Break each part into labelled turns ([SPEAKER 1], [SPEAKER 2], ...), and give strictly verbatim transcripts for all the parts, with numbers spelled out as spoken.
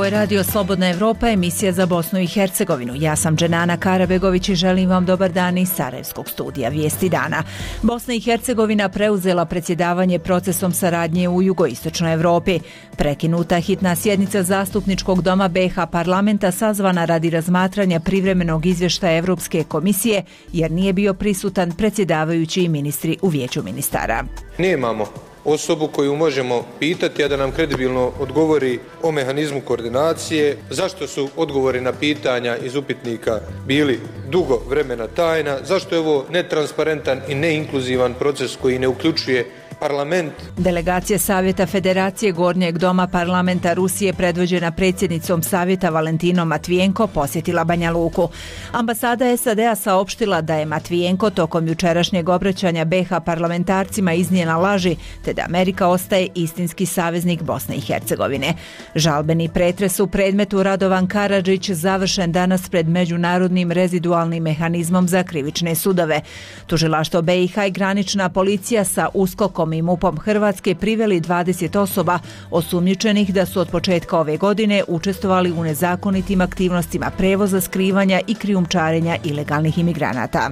[SPEAKER 1] je Radio Slobodna Evropa, emisija za Bosnu i Hercegovinu. Ja sam Dženana Karabegović i želim vam dobar dan iz Sarajevskog studija Vijesti dana. Bosna i Hercegovina preuzela predsjedavanje procesom saradnje u jugoistočnoj Evropi. Prekinuta hitna sjednica Zastupničkog doma B iH parlamenta sazvana radi razmatranja privremenog izvještaja Evropske komisije jer nije bio prisutan predsjedavajući i ministri u vijeću ministara.
[SPEAKER 2] Nemamo osobu koju možemo pitati, a da nam kredibilno odgovori o mehanizmu koordinacije, zašto su odgovori na pitanja iz upitnika bili dugo vremena tajna, zašto je ovo netransparentan i neinkluzivan proces koji ne uključuje parlament.
[SPEAKER 1] Delegacija Savjeta Federacije Gornjeg doma parlamenta Rusije predvođena predsjednicom Savjeta Valentinom Matvijenko posjetila Banja Luku. Ambasada S A D-a saopštila da je Matvijenko tokom jučerašnjeg obraćanja B iH parlamentarcima iznijela laži, te da Amerika ostaje istinski saveznik Bosne i Hercegovine. Žalbeni pretres u predmetu Radovan Karadžić završen danas pred Međunarodnim rezidualnim mehanizmom za krivične sudove. Tužilaštvo B iH i granična policija sa uskokom i MUP-om Hrvatske priveli dvadeset osoba osumnjičenih da su od početka ove godine učestvovali u nezakonitim aktivnostima prevoza, skrivanja i krijumčarenja ilegalnih imigranata.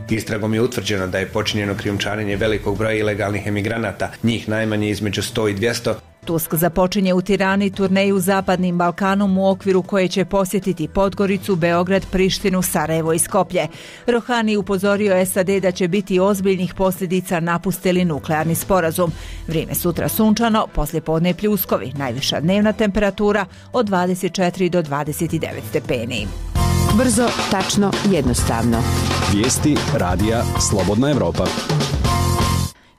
[SPEAKER 3] Istragom je utvrđeno da je počinjeno krijumčarenje velikog broja ilegalnih emigranata, njih najmanje između sto i dvjesto.
[SPEAKER 1] Tusk započinje u Tirani turneju Zapadnim Balkanom u okviru koje će posjetiti Podgoricu, Beograd, Prištinu, Sarajevo i Skoplje. Rohani upozorio S A D da će biti ozbiljnih posljedica napuste li nuklearni sporazum. Vrijeme sutra sunčano, poslijepodne pljuskovi, najviša dnevna temperatura od dvadeset četiri do dvadeset devet stepeni.
[SPEAKER 4] Brzo, tačno, jednostavno.
[SPEAKER 5] Vijesti radija Slobodna Evropa.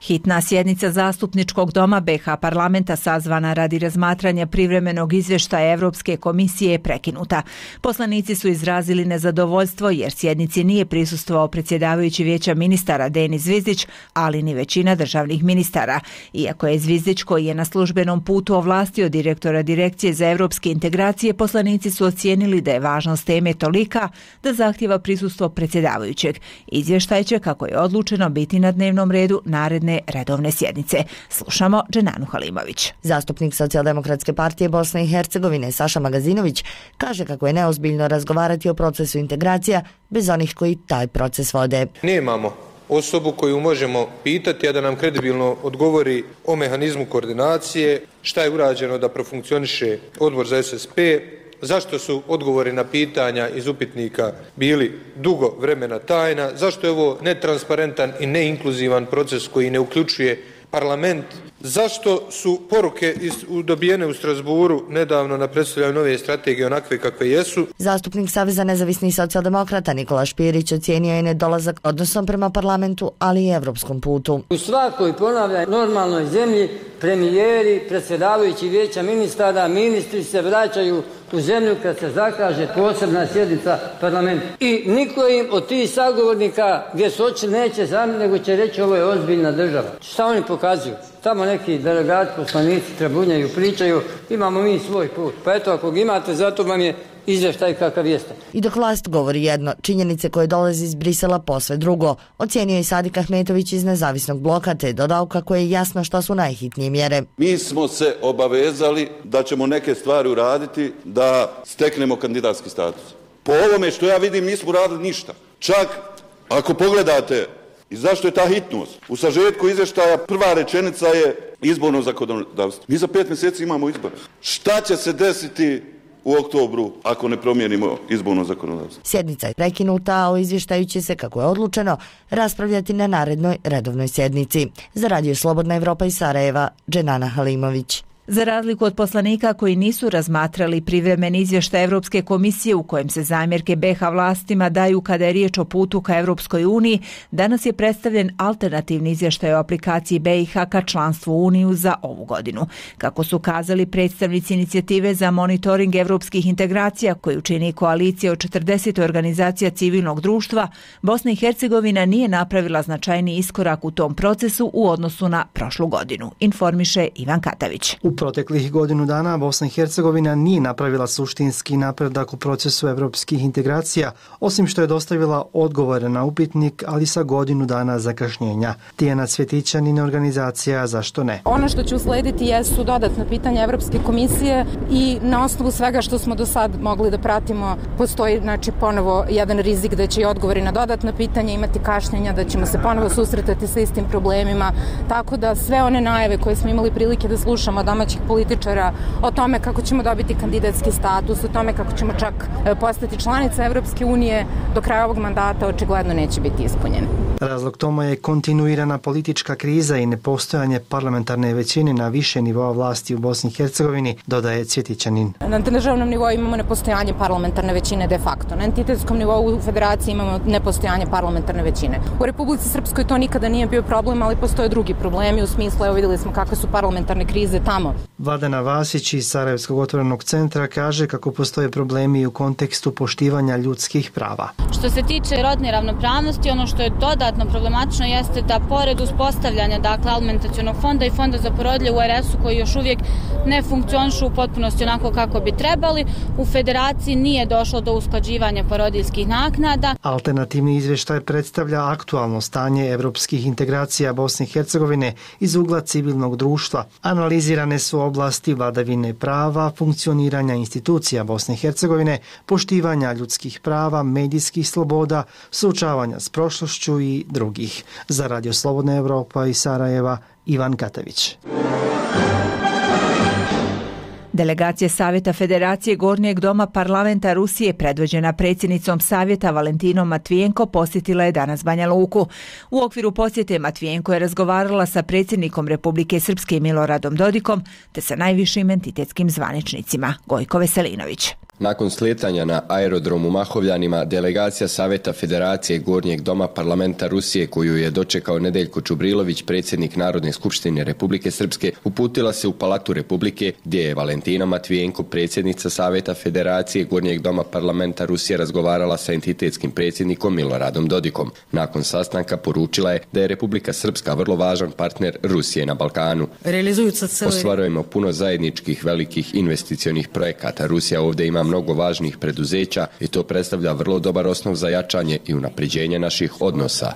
[SPEAKER 1] Hitna sjednica Zastupničkog doma B iH parlamenta sazvana radi razmatranja privremenog izvještaja Evropske komisije je prekinuta. Poslanici su izrazili nezadovoljstvo jer sjednici nije prisustvovao predsjedavajući vijeća ministara Denis Zvizdić, ali ni većina državnih ministara. Iako je Zvizdić, koji je na službenom putu ovlastio direktora Direkcije za evropske integracije, poslanici su ocijenili da je važnost teme tolika da zahtjeva prisustvo predsjedavajućeg. Izvještaj će, kako je odlučeno, biti na dnevnom redu naredne redovne sjednice. Slušamo Dženanu Halimović.
[SPEAKER 6] Zastupnik Socijaldemokratske partije Bosne i Hercegovine Saša Magazinović kaže kako je neozbiljno razgovarati o procesu integracija bez onih koji taj proces vode.
[SPEAKER 2] Nemamo osobu koju možemo pitati, a da nam kredibilno odgovori o mehanizmu koordinacije, šta je urađeno da profunkcioniše odbor za S S P, zašto su odgovori na pitanja iz upitnika bili dugo vremena tajna, zašto je ovo netransparentan i neinkluzivan proces koji ne uključuje parlament, zašto su poruke iz, dobijene u Strasburu nedavno na predstavljanju nove strategije onakve kakve jesu.
[SPEAKER 6] Zastupnik Saveza nezavisnih socijaldemokrata Nikola Špirić ocijenio je nedolazak odnosom prema parlamentu, ali i evropskom putu.
[SPEAKER 7] U svakoj, ponavljam, normalnoj zemlji premijeri, predsjedavajući vijeća ministara, ministri se vraćaju u zemlju kad se zakaže posebna sjednica parlamenta. I niko im od tih sagovornika gdje su oči neće zamiti, nego će reći ovo je ozbiljna država. Šta oni pokazuju? Tamo neki delegati, poslanici trebunjaju, pričaju, imamo mi svoj put. Pa eto, ako ga imate, zato vam je izvještaj kakav jeste.
[SPEAKER 6] I dok vlast govori jedno, činjenice koje dolaze iz Brisela posve drugo, ocijenio i Sadik Ahmetović iz Nezavisnog bloka, te dodao kako je jasno šta su najhitnije mjere.
[SPEAKER 8] Mi smo se obavezali da ćemo neke stvari uraditi da steknemo kandidatski status. Po ovome što ja vidim nismo uradili ništa. Čak ako pogledate i zašto je ta hitnost? U sažetku izvještaja prva rečenica je izborno zakonodavstvo. Mi za pet mjeseci imamo izbore. Šta će se desiti u oktobru ako ne promijenimo izborno zakonodavstvo?
[SPEAKER 6] Sjednica je prekinuta, a o izvještaju će se, kako je odlučeno, raspravljati na narednoj redovnoj sjednici. Za Radio Slobodna Evropa iz Sarajeva, Dženana Halimović.
[SPEAKER 1] Za razliku od poslanika koji nisu razmatrali privremeni izvještaj Evropske komisije u kojem se zamjerke B iH vlastima daju kada je riječ o putu ka Evropskoj uniji, danas je predstavljen alternativni izvještaj o aplikaciji B iH ka članstvu u Uniju za ovu godinu. Kako su kazali predstavnici inicijative za monitoring evropskih integracija koju čini koalicija od četrdeset organizacija civilnog društva, Bosna i Hercegovina nije napravila značajni iskorak u tom procesu u odnosu na prošlu godinu, informiše Ivan Katavić.
[SPEAKER 9] U proteklih godinu dana Bosna i Hercegovina nije napravila suštinski napredak u procesu evropskih integracija, osim što je dostavila odgovore na upitnik, ali sa godinu dana zakašnjenja. Tijana Cvjetićanin, organizacija Zašto ne?
[SPEAKER 10] Ono što će uslediti jesu dodatna pitanja Evropske komisije i na osnovu svega što smo do sad mogli da pratimo, postoji znači ponovo jedan rizik da će i odgovori na dodatna pitanja imati kašnjenja, da ćemo se ponovo susretati sa istim problemima, tako da sve one najave koje smo imali prilike da slušamo od domaćih političara o tome kako ćemo dobiti kandidatski status, o tome kako ćemo čak postati članica Evropske unije, do kraja ovog mandata očigledno neće biti ispunjeni.
[SPEAKER 9] Razlog tome je kontinuirana politička kriza i nepostojanje parlamentarne većine na više nivoa vlasti u Bosni i Hercegovini, dodaje Cvjetićanin.
[SPEAKER 10] Na državnom nivou imamo nepostojanje parlamentarne većine de facto. Na entitetskom nivou u federaciji imamo nepostojanje parlamentarne većine. U Republici Srpskoj to nikada nije bio problem, ali postoje drugi problemi u smislu, evo vidjeli smo kakve su parlamentarne krize tamo.
[SPEAKER 9] Vladana Vasić iz Sarajevskog otvorenog centra kaže kako postoje problemi u kontekstu poštivanja ljudskih prava.
[SPEAKER 11] Što se tiče rodne ravnopravnosti, ono što je dodatno problematično jeste da pored uspostavljanja dakle alimentacionog fonda i fonda za porodilje u R S-u koji još uvijek ne funkcionišu u potpunosti onako kako bi trebali, u federaciji nije došlo do usklađivanja porodiljskih naknada.
[SPEAKER 9] Alternativni izvještaj predstavlja aktualno stanje evropskih integracija Bosne i Hercegovine iz ugla civilnog društva. Analizirane su oblasti vladavine prava, funkcioniranja institucija Bosne i Hercegovine, poštivanja ljudskih prava, medijskih sloboda, suočavanja s prošlošću i drugih. Za Radio Slobodna Evropa iz Sarajeva, Ivan Katavić.
[SPEAKER 1] Delegacija Savjeta Federacije Gornjeg doma parlamenta Rusije predvođena predsjednicom Savjeta Valentinom Matvijenko posjetila je danas Banja Luku. U okviru posjete Matvijenko je razgovarala sa predsjednikom Republike Srpske Miloradom Dodikom te sa najvišim entitetskim zvaničnicima. Gojko Veselinović.
[SPEAKER 12] Nakon slijetanja na aerodromu Mahovljanima, delegacija Savjeta Federacije Gornjeg doma parlamenta Rusije, koju je dočekao Nedeljko Čubrilović, predsjednik Narodne skupštine Republike Srpske, uputila se u Palatu Republike, gdje je Valentina Matvijenko, predsjednica Savjeta Federacije Gornjeg doma parlamenta Rusije, razgovarala sa entitetskim predsjednikom Miloradom Dodikom. Nakon sastanka poručila je da je Republika Srpska vrlo važan partner Rusije na Balkanu. Ostvarujemo puno zajedničkih velikih investicionih projekata. Rusija ovdje ima mnogo važnih preduzeća i to predstavlja vrlo dobar osnov za jačanje i unapređenje naših odnosa.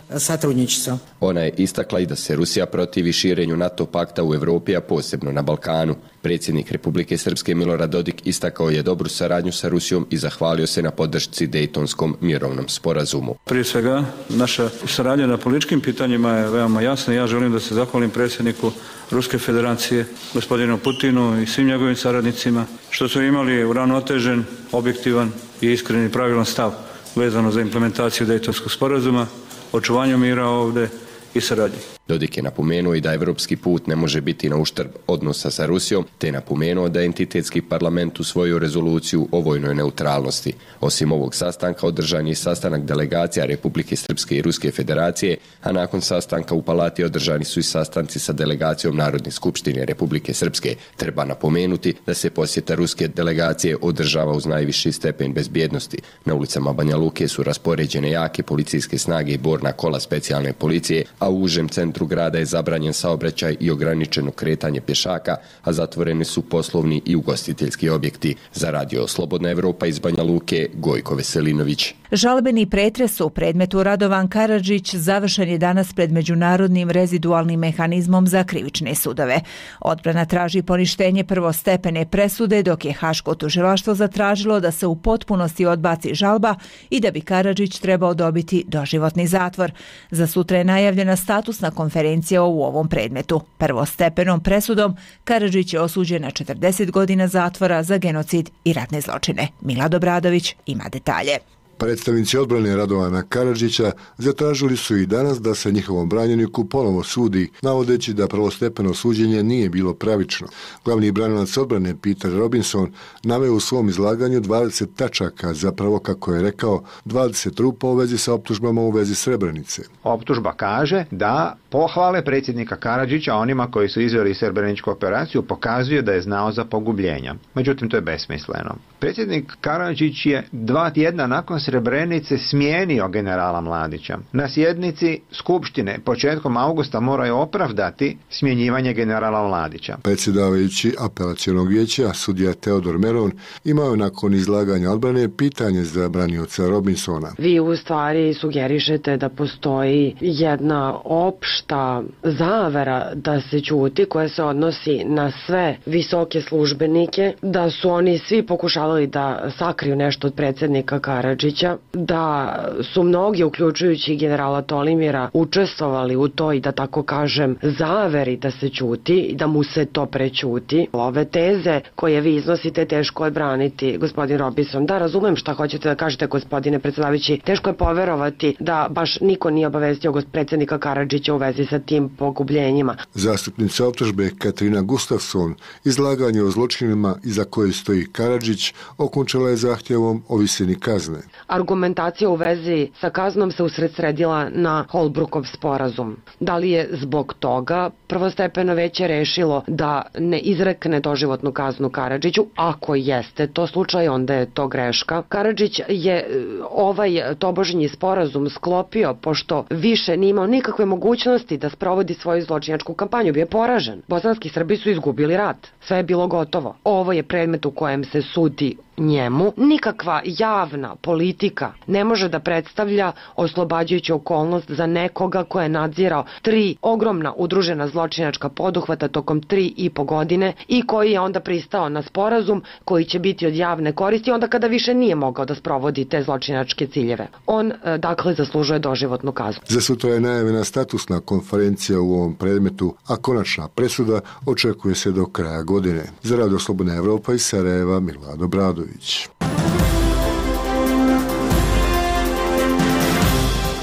[SPEAKER 12] Ona je istakla i da se Rusija protivi širenju NATO pakta u Europi, a posebno na Balkanu. Predsjednik Republike Srpske Milorad Dodik istakao je dobru saradnju sa Rusijom i zahvalio se na podršci Dejtonskom mirovnom sporazumu.
[SPEAKER 13] Prije svega, naša saradnja na političkim pitanjima je veoma jasna. Ja želim da se zahvalim predsjedniku Ruske federacije, gospodinu Putinu i svim njegovim saradnicima, što su imali uravnotežen, objektivan i iskreni pravilan stav vezano za implementaciju Dejtonskog sporazuma, očuvanju mira ovdje i saradnje.
[SPEAKER 12] Dodik je napomenuo i da evropski put ne može biti na uštrb odnosa sa Rusijom, te je napomenuo da je entitetski parlament usvojio rezoluciju o vojnoj neutralnosti. Osim ovog sastanka održan je sastanak delegacija Republike Srpske i Ruske federacije, a nakon sastanka u Palati održani su i sastanci sa delegacijom Narodne skupštine Republike Srpske. Treba napomenuti da se posjeta ruske delegacije održava uz najviši stepen bezbjednosti. Na ulicama Banja Luke su raspoređene jake policijske snage i borna kola specijalne policije, a u užem centru grada je zabranjen saobraćaj i ograničeno kretanje pješaka, a zatvoreni su poslovni i ugostiteljski objekti. Za Radio Slobodna Evropa iz Banja Luke, Gojko Veselinović.
[SPEAKER 1] Žalbeni pretres u predmetu Radovan Karadžić završen je danas pred Međunarodnim rezidualnim mehanizmom za krivične sudove. Odbrana traži poništenje prvostepene presude, dok je Haško tužilaštvo zatražilo da se u potpunosti odbaci žalba i da bi Karadžić trebao dobiti doživotni zatvor. Za sutra je najavljena statusna konferencija u ovom predmetu. Prvostepenom presudom Karadžić je osuđen na četrdeset godina zatvora za genocid i ratne zločine. Milad Obradović ima detalje.
[SPEAKER 14] Predstavnici odbrane Radovana Karadžića zatražili su i danas da se njihovom branjeniku ponovo sudi, navodeći da prvostepeno suđenje nije bilo pravično. Glavni branilac odbrane Peter Robinson naveo u svom izlaganju dvadeset tačaka, zapravo kako je rekao dvadeset rupa u vezi sa optužbama u vezi Srebrenice.
[SPEAKER 15] Optužba kaže da pohvale predsjednika Karadžića onima koji su izveli srebreničku operaciju pokazuju da je znao za pogubljenja. Međutim, to je besmisleno. Predsjednik Karadžić je dva tjedna nakon Srebrenice smijenio generala Mladića. Na sjednici Skupštine početkom augusta moraju opravdati smjenjivanje generala Mladića.
[SPEAKER 14] Predsjedavajući apelacionog vijeća, sudija Teodor Meron, imao nakon izlaganja odbrane pitanje za branioca Robinsona.
[SPEAKER 16] Vi u stvari sugerišete da postoji jedna opšta zavera da se ćuti koja se odnosi na sve visoke službenike, da su oni svi pokušavali da sakriju nešto od predsjednika Karadžića, da su mnogi, uključujući generala Tolimira, učestvovali u toj, da tako kažem, zaveri da se ćuti i da mu se to prećuti. Ove teze koje vi iznosite teško je braniti, gospodin Robinson. Da, razumem šta hoćete da kažete, gospodine predsjedavajući. Teško je poverovati da baš niko nije obavestio predsjednika Karadžića u vezi sa tim pogubljenjima.
[SPEAKER 14] Zastupnica optužbe Katarina Gustafson izlaganje o zločinima iza koje stoji Karadžić okončala je zahtjevom o visini kazne.
[SPEAKER 16] Argumentacija u vezi sa kaznom se usredsredila na Holbrookov sporazum. Da li je zbog toga prvostepeno veće rešilo da ne izrekne doživotnu kaznu Karadžiću? Ako jeste to slučaj, onda je to greška. Karadžić je ovaj tobožnji sporazum sklopio pošto više nije imao nikakve mogućnosti da sprovodi svoju zločinačku kampanju. Bio je poražen. Bosanski Srbi su izgubili rat. Sve je bilo gotovo. Ovo je predmet u kojem se sudi njemu. Nikakva javna politika ne može da predstavlja oslobađajuću okolnost za nekoga ko je nadzirao tri ogromna udružena zločinačka poduhvata tokom tri i po godine i koji je onda pristao na sporazum koji će biti od javne koristi onda kada više nije mogao da sprovodi te zločinačke ciljeve. On, dakle, zaslužuje doživotnu kaznu.
[SPEAKER 14] Za sutra je najavljena statusna konferencija u ovom predmetu, a konačna presuda očekuje se do kraja godine. Za Radio Slobodna Evropa iz Sarajeva, Milado Bradović.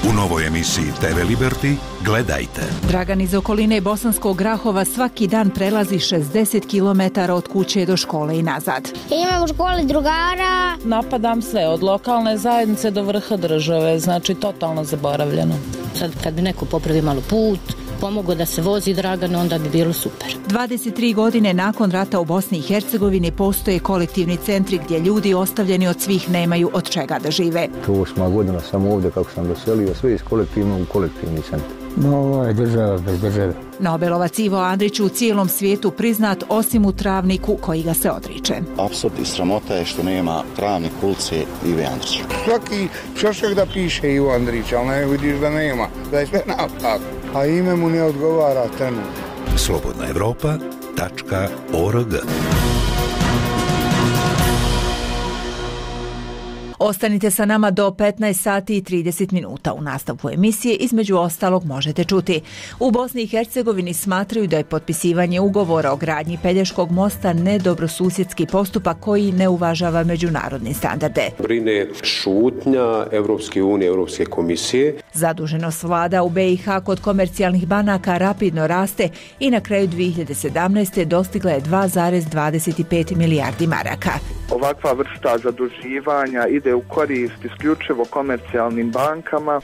[SPEAKER 17] U novoj emisiji te ve Liberty gledajte.
[SPEAKER 1] Dragan iz okoline Bosanskog Grahova svaki dan prelazi šezdeset kilometara od kuće do škole i nazad.
[SPEAKER 18] Imam u školi drugara.
[SPEAKER 19] Napadam sve, od lokalne zajednice do vrha države, znači totalno zaboravljeno.
[SPEAKER 20] Sad kad bi neko popravi malo put, pomogao da se vozi Dragan, onda bi bilo super.
[SPEAKER 1] dvadeset tri godine nakon rata u Bosni i Hercegovini postoje kolektivni centri gdje ljudi ostavljeni od svih nemaju od čega da žive.
[SPEAKER 21] Osma godina sam ovdje kako sam doselio, sve iz kolektivnog u kolektivni centar. No, ovo je država bez države.
[SPEAKER 1] Nobelovac Ivo Andrić u cijelom svijetu priznat osim u Travniku koji ga se odriče.
[SPEAKER 22] Apsurd i sramota je što nema Travnik ulice Ive Andrića.
[SPEAKER 23] Svaki šošak da piše Ivo Andrić, ali ne vidiš da nema, da je sve napak, a ime mu ne odgovara trenutno.
[SPEAKER 17] slobodna evropa tačka org.
[SPEAKER 1] Ostanite sa nama do petnaest sati i trideset minuta. U nastavku emisije između ostalog možete čuti. U Bosni i Hercegovini smatraju da je potpisivanje ugovora o gradnji Pelješkog mosta nedobrosusjedski postupak koji ne uvažava međunarodne standarde.
[SPEAKER 24] Brine šutnja Evropske unije, Evropske komisije.
[SPEAKER 1] Zaduženost vlada u be i ha kod komercijalnih banaka rapidno raste i na kraju dvije hiljade sedamnaeste. dostigla je dva zarez dvadeset pet milijardi maraka.
[SPEAKER 25] Ovakva vrsta zaduživanja ide u korist isključivo komercijalnim bankama.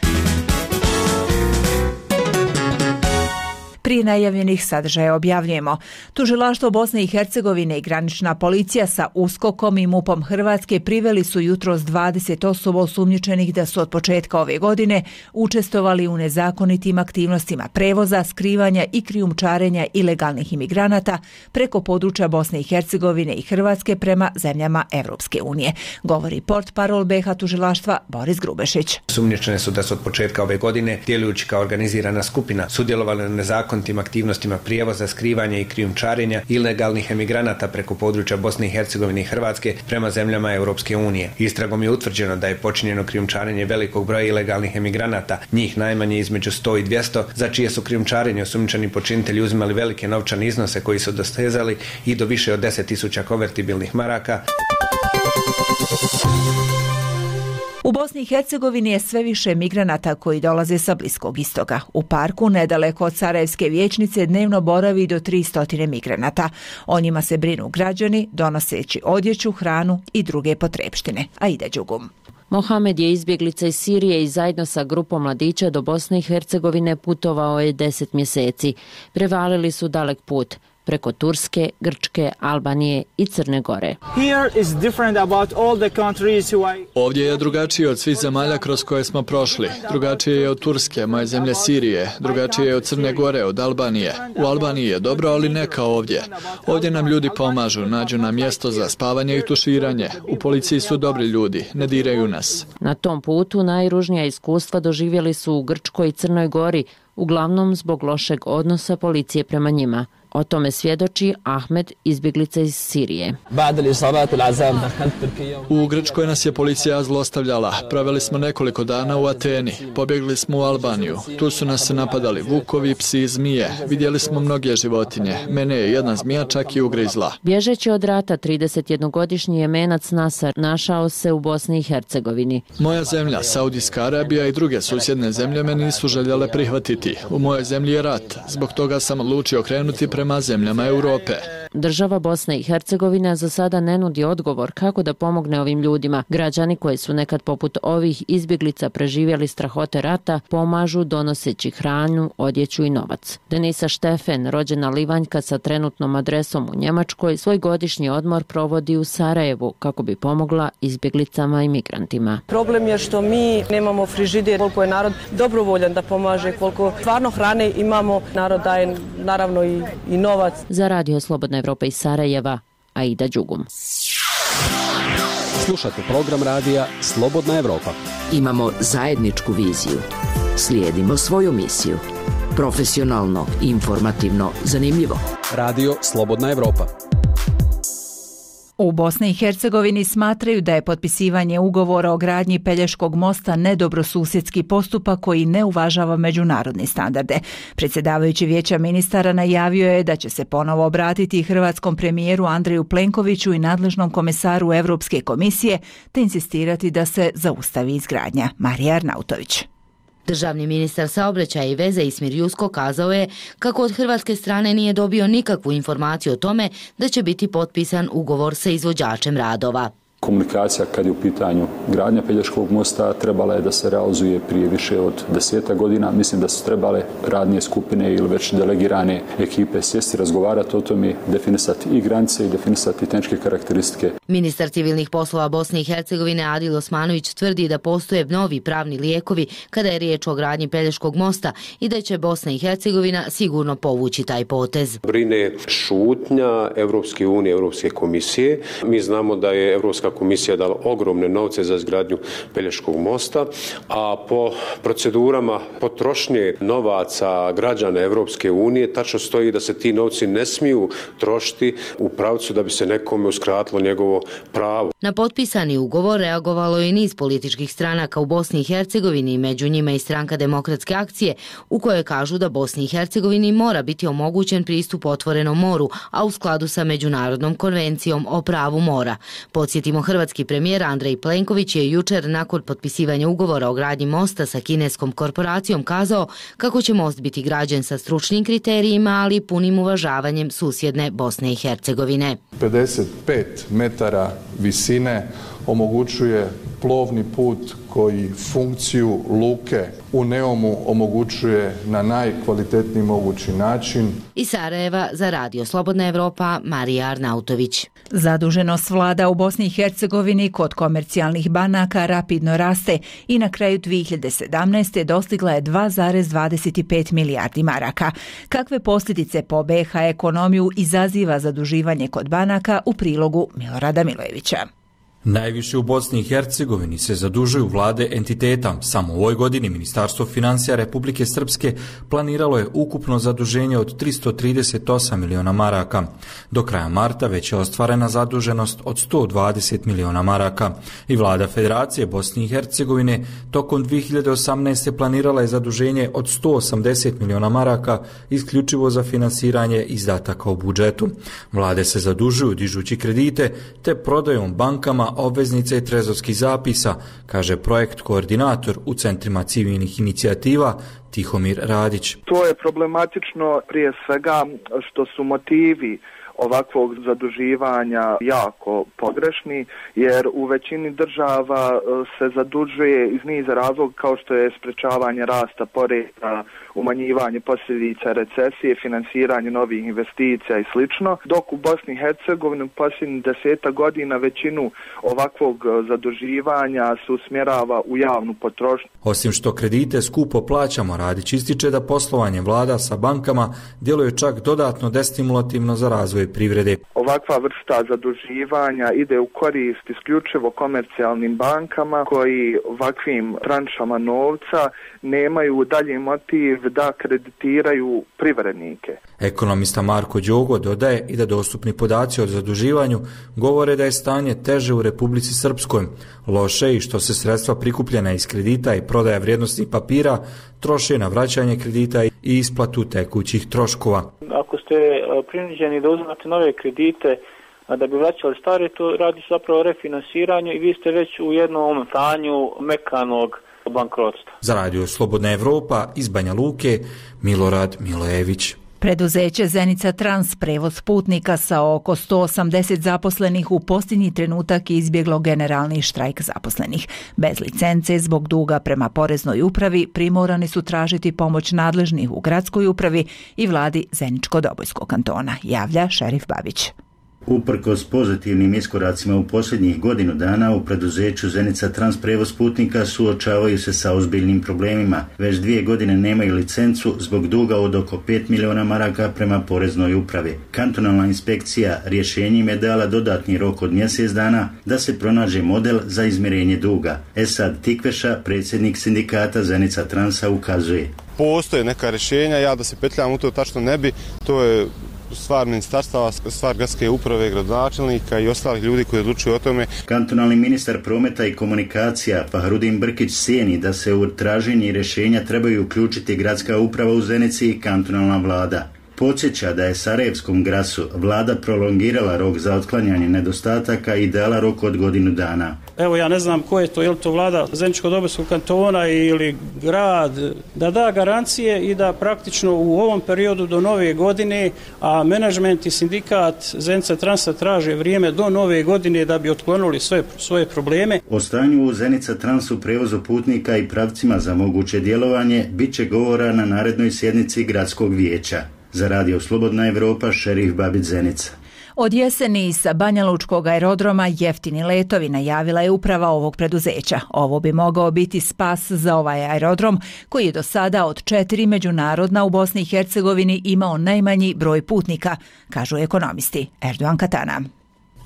[SPEAKER 1] Prije najavljenih sadržaja objavljujemo. Tužilaštvo Bosne i Hercegovine i granična policija sa uskokom i mupom Hrvatske priveli su jutros dvadeset osoba osumnjičenih da su od početka ove godine učestvovali u nezakonitim aktivnostima prevoza, skrivanja i krijumčarenja ilegalnih imigranata preko područja Bosne i Hercegovine i Hrvatske prema zemljama Evropske unije. Govori portparol be ha tužilaštva Boris Grubešić.
[SPEAKER 3] Osumnjičene su da su od početka ove godine, djelujući kao organizirana skupina, sudjelovali na nezakonitim tim aktivnostima prijevoza, skrivanja i krijumčarenja ilegalnih emigranata preko područja Bosne i Hercegovine i Hrvatske prema zemljama Europske unije. Istragom je utvrđeno da je počinjeno krijumčarenje velikog broja ilegalnih emigranata, njih najmanje između sto i dvjesto, za čije su krijumčarenje osumnjičeni počinitelji uzimali velike novčane iznose koji su dostezali i do više od deset tisuća konvertibilnih maraka.
[SPEAKER 1] U Bosni i Hercegovini je sve više migranata koji dolaze sa Bliskog istoka. U parku, nedaleko od Sarajevske vijećnice, dnevno boravi do tristo migranata. O njima se brinu građani, donoseći odjeću, hranu i druge potrepštine. Aida Đugum.
[SPEAKER 26] Mohamed je izbjeglica iz Sirije i zajedno sa grupom mladića do Bosne i Hercegovine putovao je deset mjeseci. Prevalili su dalek put. preko Turske, Grčke, Albanije i Crne Gore.
[SPEAKER 2] Ovdje je drugačije od svih zemalja kroz koje smo prošli. Drugačije je od Turske, moje zemlje Sirije. Drugačije je od Crne Gore, od Albanije. U Albaniji je dobro, ali ne kao ovdje. Ovdje nam ljudi pomažu, nađu nam mjesto za spavanje i tuširanje. U policiji su dobri ljudi, ne diraju nas.
[SPEAKER 26] Na tom putu najružnija iskustva doživjeli su u Grčkoj i Crnoj Gori, uglavnom zbog lošeg odnosa policije prema njima. O tome svjedoči Ahmed, izbjeglica iz Sirije.
[SPEAKER 2] U Grčkoj nas je policija zlostavljala. Proveli smo nekoliko dana u Ateni. Pobjegli smo u Albaniju. Tu su nas napadali vukovi, psi, zmije. Vidjeli smo mnoge životinje. Mene je jedna zmija čak i ugrizla.
[SPEAKER 26] Bježeći od rata, tridesetjednogodišnji Jemenac Nasar našao se u Bosni i Hercegovini.
[SPEAKER 2] Moja zemlja, Saudijska Arabija i druge susjedne zemlje me nisu željele prihvatiti. U mojoj zemlji je rat. Zbog toga sam odlučio krenuti prema zemljama Europe.
[SPEAKER 26] Država Bosne i Hercegovina za sada ne nudi odgovor kako da pomogne ovim ljudima. Građani koji su nekad poput ovih izbjeglica preživjeli strahote rata pomažu donoseći hranu, odjeću i novac. Denisa Štefen, rođena Livanjka sa trenutnom adresom u Njemačkoj, svoj godišnji odmor provodi u Sarajevu kako bi pomogla izbjeglicama i migrantima.
[SPEAKER 4] Problem je što mi nemamo frižider, koliko je narod dobrovoljan da pomaže, koliko stvarno hrane imamo, narod daje naravno i, i novac.
[SPEAKER 26] Za Radio Slobodna Evropa iz Sarajeva, Aida Đugum.
[SPEAKER 5] Slušate program radija Slobodna Evropa.
[SPEAKER 6] Imamo zajedničku viziju. Slijedimo svoju misiju. Profesionalno, informativno, zanimljivo.
[SPEAKER 5] Radio Slobodna Evropa.
[SPEAKER 1] U Bosni i Hercegovini smatraju da je potpisivanje ugovora o gradnji Pelješkog mosta nedobrosusjedski postupak koji ne uvažava međunarodne standarde. Predsjedavajući Vijeća ministara najavio je da će se ponovo obratiti hrvatskom premijeru Andreju Plenkoviću i nadležnom komesaru Europske komisije te insistirati da se zaustavi izgradnja. Marija Arnautović.
[SPEAKER 7] Državni ministar saobraćaja i veze Ismir Jusko kazao je kako od hrvatske strane nije dobio nikakvu informaciju o tome da će biti potpisan ugovor sa izvođačem radova.
[SPEAKER 8] Komunikacija kad je u pitanju gradnja Pelješkog mosta trebala je da se realizuje prije više od deseta godina. Mislim da su trebale radnije skupine ili već delegirane ekipe sjesti, razgovarati o tome, definisati i granice i definisati tehničke karakteristike.
[SPEAKER 7] Ministar civilnih poslova Bosne i Hercegovine Adil Osmanović tvrdi da postoje novi pravni lijekovi kada je riječ o gradnji Pelješkog mosta i da će Bosna i Hercegovina sigurno povući taj potez.
[SPEAKER 24] Brine šutnja Evropske unije, Europske komisije. Mi znamo da je Europska komisija dala ogromne novce za izgradnju Pelješkog mosta, a po procedurama potrošnje novaca građana Evropske unije tačno stoji da se ti novci ne smiju trošiti u pravcu da bi se nekome uskratilo njegovo pravo.
[SPEAKER 7] Na potpisani ugovor reagovalo je i niz političkih stranaka u Bosni i Hercegovini, među njima i Stranka demokratske akcije, u kojoj kažu da Bosni i Hercegovini mora biti omogućen pristup otvorenom moru, a u skladu sa Međunarodnom konvencijom o pravu mora. Podsjetimo, hrvatski premijer Andrej Plenković je jučer nakon potpisivanja ugovora o gradnji mosta sa kineskom korporacijom kazao kako će most biti građen sa stručnim kriterijima, ali punim uvažavanjem susjedne Bosne i Hercegovine.
[SPEAKER 27] pedeset pet metara visine omogućuje plovni put koji funkciju luke u Neumu omogućuje na najkvalitetniji mogući način.
[SPEAKER 7] Iz Sarajeva za Radio Slobodna Evropa, Marija Arnautović.
[SPEAKER 1] Zaduženost vlada u Bosni i Hercegovini kod komercijalnih banaka rapidno raste i na kraju dvije hiljade sedamnaeste. dostigla je dva zarez dvadeset pet milijardi maraka. Kakve posljedice po B iH ekonomiju izaziva zaduživanje kod banaka u prilogu Milorada Milojevića.
[SPEAKER 28] Najviše u Bosni i Hercegovini se zadužuju vlade entiteta. Samo u ovoj godini Ministarstvo financija Republike Srpske planiralo je ukupno zaduženje od tristo trideset osam miliona maraka. Do kraja marta već je ostvarena zaduženost od sto dvadeset miliona maraka. I vlada Federacije Bosne i Hercegovine tokom dvije hiljade osamnaeste. planirala je zaduženje od sto osamdeset miliona maraka isključivo za finansiranje izdataka u budžetu. Vlade se zadužuju dižući kredite te prodajom bankama obveznice i trezorskih zapisa, kaže projekt koordinator u Centrima civilnih inicijativa Tihomir Radić.
[SPEAKER 25] To je problematično prije svega što su motivi ovakvog zaduživanja jako pogrešni, jer u većini država se zadužuje iz niza razloga kao što je sprečavanje rasta poreza, umanjivanje posljedica recesije, finansiranje novih investicija i slično, dok u Bosni i Hercegovini u posljednjih deseta godina većinu ovakvog zaduživanja se usmjerava u javnu potrošnju.
[SPEAKER 28] Osim što kredite skupo plaćamo, Radić ističe da poslovanje vlada sa bankama djeluje čak dodatno destimulativno za razvoj privrede.
[SPEAKER 25] Ovakva vrsta zaduživanja ide u korist isključivo komercijalnim bankama koji ovakvim tranšama novca nemaju dalji motiv da kreditiraju privrednike.
[SPEAKER 28] Ekonomista Marko Đogo dodaje i da dostupni podaci o zaduživanju govore da je stanje teže u Republici Srpskoj. Loše i što se sredstva prikupljena iz kredita i prodaja vrijednosnih papira troše na vraćanje kredita i isplatu tekućih troškova.
[SPEAKER 9] Ako ste prinuđeni da uzmete nove kredite da bi vraćali stare, to radi zapravo o refinansiranju i vi ste već u jednom stanju mekanog bankrotstva.
[SPEAKER 28] Za radio Slobodna Evropa iz Banja Luke, Milorad Milojević.
[SPEAKER 1] Preduzeće Zenica Trans, prevoz putnika sa oko sto osamdeset zaposlenih, u posljednji trenutak izbjeglo generalni štrajk zaposlenih. Bez licence, zbog duga prema poreznoj upravi, primorani su tražiti pomoć nadležnih u gradskoj upravi i vladi Zeničko-Dobojskog kantona, javlja šerif Babić.
[SPEAKER 10] Uprkos pozitivnim iskoracima u posljednjih godinu dana, u preduzeću Zenica Trans prevoz putnika suočavaju se sa ozbiljnim problemima. Već dvije godine nemaju licencu zbog duga od oko pet miliona maraka prema poreznoj upravi. Kantonalna inspekcija rješenjem je dala dodatni rok od mjesec dana da se pronađe model za izmirenje duga. Esad Tikveša, predsjednik sindikata Zenica Transa, ukazuje.
[SPEAKER 11] Postoje neka rješenja, ja da se petljam u to tačno ne bi, to je stvar ministarstava, stvar gradske uprave, gradonačelnika i ostalih ljudi koji odlučuju o tome.
[SPEAKER 10] Kantonalni ministar prometa i komunikacija Fahrudin Brkić cijeni da se u traženje rješenja trebaju uključiti gradska uprava u Zenici i kantonalna vlada. Podsjeća da je Sarajevskom grasu vlada prolongirala rok za otklanjanje nedostataka i dala rok od godinu dana.
[SPEAKER 12] Evo ja ne znam ko je to, je li to vlada Zeničko-Dobojskog kantona ili grad, da da garancije i da praktično u ovom periodu do nove godine, a menadžment i sindikat Zenica Transa traže vrijeme do nove godine da bi otklonili sve svoje probleme.
[SPEAKER 10] O stanju u Zenica Transu prevozu putnika i pravcima za moguće djelovanje bit će govora na narednoj sjednici gradskog vijeća. Za radio Slobodna Evropa, šerif Babić, Zenica.
[SPEAKER 1] Od jeseni sa Banjalučkog aerodroma jeftini letovi, najavila je uprava ovog preduzeća. Ovo bi mogao biti spas za ovaj aerodrom koji je do sada od četiri međunarodna u Bosni i Hercegovini imao najmanji broj putnika, kažu ekonomisti. Erdogan Katana.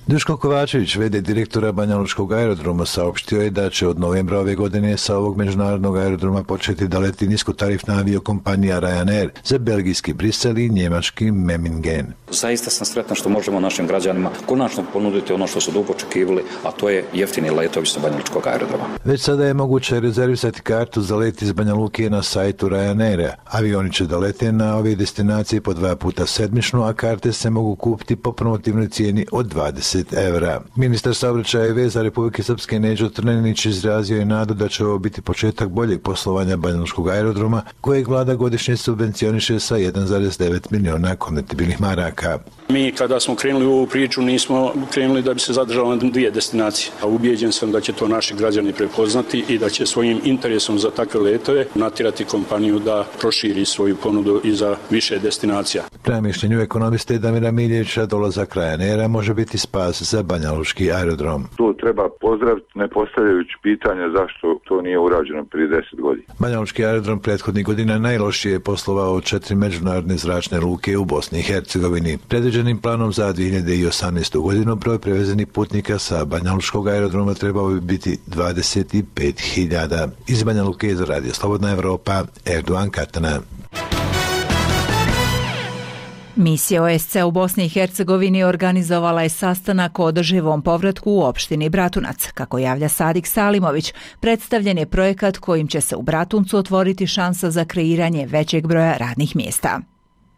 [SPEAKER 13] Duško Kovačević, v d direktora Banjalučkog aerodroma, saopštio je da će od novembra ove godine sa ovog međunarodnog aerodroma početi da leti niskotarifna aviokompanija Ryanair za belgijski Brisel i njemački Memmingen.
[SPEAKER 14] Zaista sam sretan što možemo našim građanima konačno ponuditi ono što su dugo očekivali, a to je jeftini letovi sa Banjalučkog aerodroma.
[SPEAKER 13] Već sada je moguće rezervisati kartu za let iz Banja Luke na sajtu Ryanaira. Avioni će da lete na ove destinacije po dva puta sedmično, a karte se mogu kupiti po promotivnoj cijeni od dvadeset evra. Ministar saobraćaja i veza Republike Srpske Neđo Trnenić izrazio je nadu da će ovo biti početak boljeg poslovanja Banjalučkog aerodroma, kojeg vlada godišnje subvencioniše sa jedan zarez devet miliona konvertibilnih maraka.
[SPEAKER 15] Mi kada smo krenuli u ovu priču nismo krenuli da bi se zadržalo na dvije destinacije, a ubijeđen sam da će to naši građani prepoznati i da će svojim interesom za takve letove natjerati kompaniju da proširi svoju ponudu i za više destinacija.
[SPEAKER 13] Prema mišljenju ekonomiste Damira Miljevića, dolazak Ryanaira može biti spas za Banjalučki aerodrom.
[SPEAKER 16] To treba pozdraviti, ne postavljajući pitanja zašto to nije urađeno prije deset godina.
[SPEAKER 13] Banjalučki aerodrom prethodnih godina najlošije je poslovao od četiri međunarodne zračne luke u Bosni i Hercegovini. Predviđenim planom za dvije hiljade osamnaestu godinu broj prevezenih putnika sa Banjalučkog aerodroma trebao bi biti dvadeset pet hiljada. Iz Banja Luke za radio Slobodna Evropa, Erdogan Katana.
[SPEAKER 1] Misija O S C u Bosni i Hercegovini organizovala je sastanak o održivom povratku u opštini Bratunac. Kako javlja Sadik Salimović, predstavljen je projekat kojim će se u Bratuncu otvoriti šansa za kreiranje većeg broja radnih mjesta.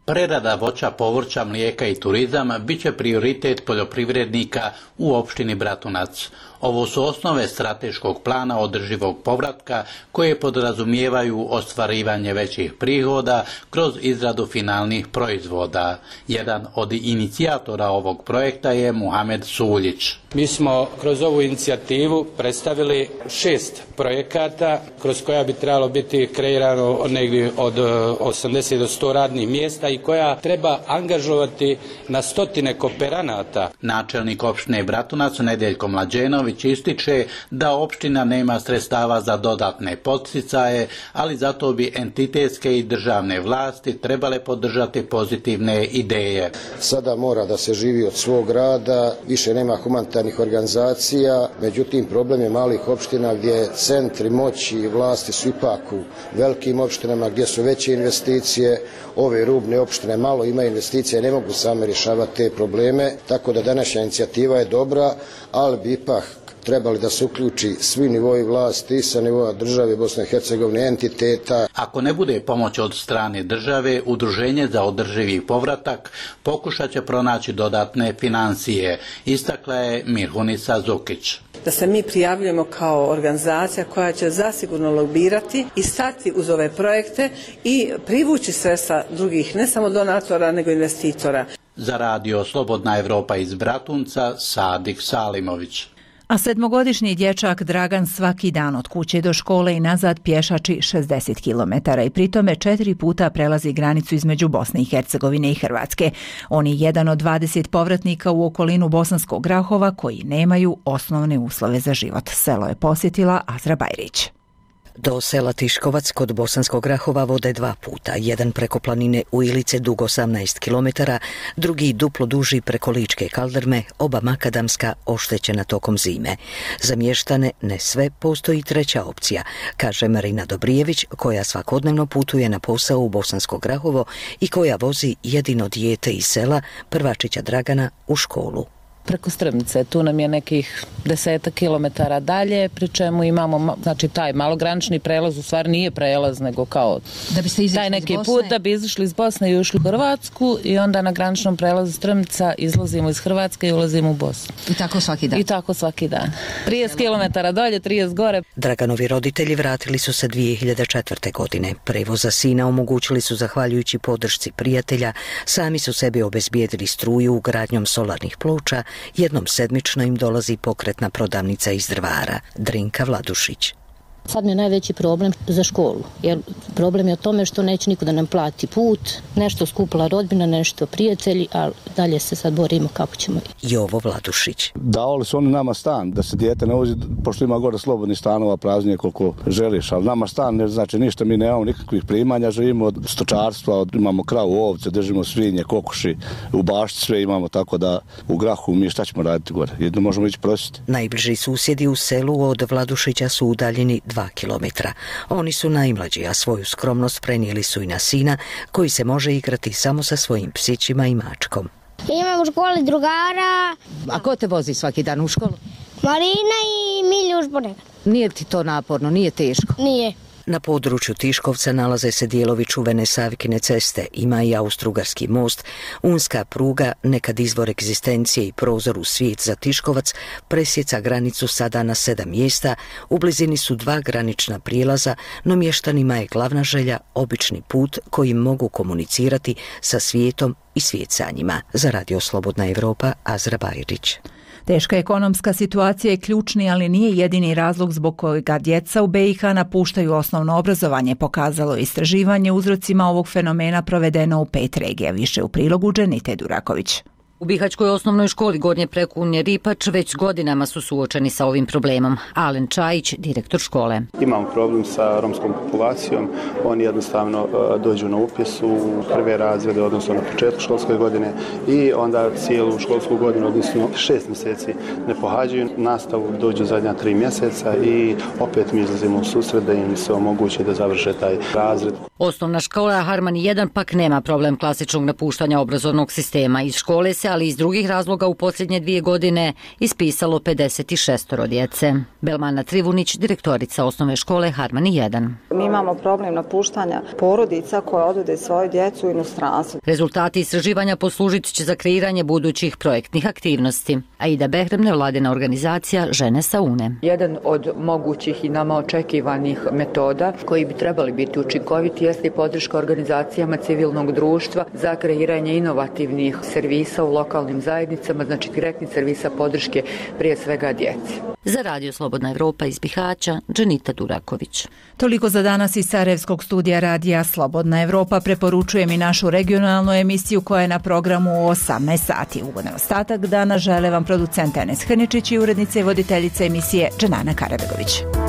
[SPEAKER 29] Prerada voća, povrća, mlijeka i turizam bit će prioritet poljoprivrednika u opštini Bratunac. Ovo su osnove strateškog plana održivog povratka koje podrazumijevaju ostvarivanje većih prihoda kroz izradu finalnih proizvoda. Jedan od inicijatora ovog projekta je Muhamed Suljić.
[SPEAKER 2] Mi smo kroz ovu inicijativu predstavili šest projekata kroz koja bi trebalo biti kreirano negdje od osamdeset do sto radnih mjesta i koja treba angažovati na stotine kooperanata.
[SPEAKER 29] Načelnik opštine Bratunac Nedeljko Mlađenović ističe da opština nema sredstava za dodatne podsticaje, ali zato bi entitetske i državne vlasti trebale podržati pozitivne ideje.
[SPEAKER 3] Sada mora da se živi od svog rada, više nema humanitarnih organizacija, međutim problem je malih opština gdje centri moći i vlasti su ipak u velikim opštinama gdje su veće investicije, ove rubne opštine malo imaju investicije, ne mogu same rješavati te probleme, tako da današnja inicijativa je dobra, ali bi ipak trebali da se uključi svi nivoi vlasti i sa nivoa države Bosne i Hercegovine, entiteta.
[SPEAKER 29] Ako ne bude pomoć od strane države, Udruženje za održivi povratak pokušat će pronaći dodatne financije, istakla je Mirhunica Zukić.
[SPEAKER 17] Da se mi prijavljujemo kao organizacija koja će zasigurno lobirati i stati uz ove projekte i privući sredstva drugih, ne samo donatora, nego investitora.
[SPEAKER 29] Za radio Slobodna Evropa iz Bratunca, Sadik Salimović.
[SPEAKER 1] A sedmogodišnji dječak Dragan svaki dan od kuće do škole i nazad pješači šezdeset kilometara i pritome četiri puta prelazi granicu između Bosne i Hercegovine i Hrvatske. On je jedan od dvadeset povratnika u okolinu Bosanskog Grahova koji nemaju osnovne uslove za život. Selo je posjetila Azra Bajrić.
[SPEAKER 18] Do sela Tiškovac kod Bosanskog Grahova vode dva puta, jedan preko planine Ujilice dug osamnaest kilometara, drugi duplo duži preko Ličke Kaldrme, oba makadamska, oštećena tokom zime. Za mještane, ne sve, postoji treća opcija, kaže Marina Dobrijević, koja svakodnevno putuje na posao u Bosansko Grahovo i koja vozi jedino dijete iz sela, prvačića Dragana, u školu.
[SPEAKER 26] Preko Strmce, tu nam je nekih desetak kilometara dalje, pri čemu imamo, znači taj malogranični prelaz u stvari nije prelaz, nego kao
[SPEAKER 19] da biste
[SPEAKER 26] taj neki put da bi izašli iz Bosne i ušli u Hrvatsku i onda na graničnom prelazu Strmca izlazimo iz Hrvatske i ulazimo u Bosnu.
[SPEAKER 19] I tako svaki dan?
[SPEAKER 26] I tako svaki dan. trideset kilometara dolje, trideset gore.
[SPEAKER 18] Draganovi roditelji vratili su se dvije hiljade četvrte. godine. Prevoz za sina omogućili su zahvaljujući podršci prijatelja, sami su sebi obezbijedili struju ugradnjom solarnih ploča. Jednom sedmično im dolazi pokretna prodavnica iz Drvara, Drinka Vladušić.
[SPEAKER 19] Sad mi je najveći problem za školu, jer problem je o tome što neće niko da nam plati put, nešto skupila rodbina, nešto prijatelji, ali dalje se sad borimo kako ćemo.
[SPEAKER 18] Jovo Vladušić.
[SPEAKER 20] Davali su oni nama stan, da se dijete ne vozi, pošto ima gore slobodnih stanova, praznije koliko želiš, ali nama stan ne znači ništa, mi nemamo nikakvih primanja, živimo od stočarstva, od, imamo kravu, ovce, držimo svinje, kokoši, u bašti sve imamo, tako da u Grahu mi šta ćemo raditi gore, jedno možemo ići prositi.
[SPEAKER 18] Najbliži susjedi u selu od Vladušića su udaljeni dva kilometra. Oni su najmlađi, a svoju skromnost prenijeli su i na sina, koji se može igrati samo sa svojim psićima i mačkom.
[SPEAKER 21] Imam u školi drugara.
[SPEAKER 19] A ko te vozi svaki dan u školu?
[SPEAKER 21] Marina i Miljuš ponekad.
[SPEAKER 19] Nije ti to naporno, nije teško?
[SPEAKER 21] Nije.
[SPEAKER 18] Na području Tiškovca nalaze se dijelovi čuvene Savikine ceste, ima i Austrougarski most, unska pruga, nekad izvor egzistencije i prozor u svijet za Tiškovac, presjeca granicu sada na sedam mjesta, u blizini su dva granična prijelaza, no mještanima je glavna želja obični put kojim mogu komunicirati sa svijetom i svijet sa njima. Za Radio Slobodna Evropa, Azra Bajrić.
[SPEAKER 1] Teška ekonomska situacija je ključni, ali nije jedini razlog zbog kojega djeca u B i H napuštaju osnovno obrazovanje, pokazalo istraživanje uzrocima ovog fenomena provedeno u pet regija. Više u prilogu Dženite Duraković.
[SPEAKER 19] U Bihaćkoj osnovnoj školi Gornje Prekunje Ripač već godinama su suočeni sa ovim problemom. Alen Čajić, direktor škole.
[SPEAKER 22] Imamo problem sa romskom populacijom. Oni jednostavno dođu na upis u prve razrede, odnosno na početku školske godine i onda cijelu školsku godinu, odnosno šest mjeseci ne pohađaju nastavu, dođu zadnja tri mjeseca i opet mi izlazimo u susret da im se omogući da završe taj razred.
[SPEAKER 19] Osnovna škola Harmani jedan pak nema problem klasičnog napuštanja obrazovnog sistema. Iz škole se
[SPEAKER 4] ali iz drugih razloga u posljednje dvije godine ispisalo pedeset šest djece. Belmana Trivunić, direktorica osnovne škole Harmani jedan.
[SPEAKER 5] Mi imamo problem napuštanja porodica koje odvode svoju djecu u inostranstvo.
[SPEAKER 4] Rezultati istraživanja poslužit će za kreiranje budućih projektnih aktivnosti. Aida Behrem, nevladina organizacija Žene sa Une.
[SPEAKER 6] Jedan od mogućih i nama očekivanih metoda koji bi trebali biti učinkoviti jeste i podrška organizacijama civilnog društva za kreiranje inovativnih servisa u lokalnim zajednicama, znači direktnih servisa podrške prije svega djeci.
[SPEAKER 4] Za Radio Slobodna Evropa iz Bihaća, Dženita Duraković.
[SPEAKER 1] Toliko za danas iz Sarajevskog studija Radija Slobodna Evropa. Preporučujem i našu regionalnu emisiju koja je na programu u osamnaest sati. Ugodan ostatak dana žele vam producent Enes Hrničić i urednica i voditeljica emisije Dženana Karabegović.